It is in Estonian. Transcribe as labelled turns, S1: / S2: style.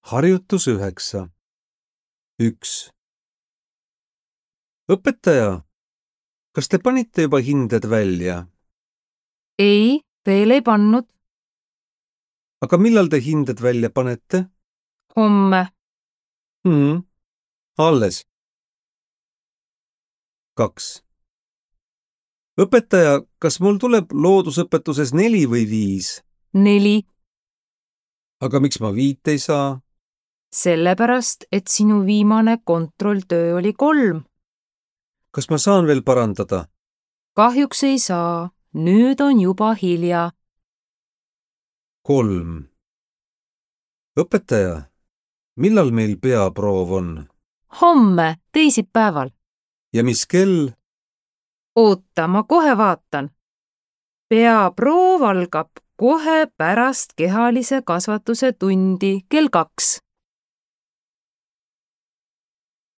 S1: Harjutus 9. 1. Õpetaja, kas te panite juba hinded välja?
S2: Ei, veel ei pannud.
S1: Aga millal te hinded välja panete?
S2: Homme.
S1: Alles. 2. Õpetaja, kas mul tuleb loodusõpetuses 4 või 5?
S2: 4.
S1: Aga miks ma 5 ei saa?
S2: Sellepärast, et sinu viimane kontrolltöö oli 3.
S1: Kas ma saan veel parandada?
S2: Kahjuks ei saa. Nüüd on juba hilja.
S1: 3. Õpetaja, millal meil peaproov on?
S2: Homme, teisipäeval.
S1: Ja mis kell?
S2: Oota, ma kohe vaatan. Peaproov algab kohe pärast kehalise kasvatuse tundi kell 2.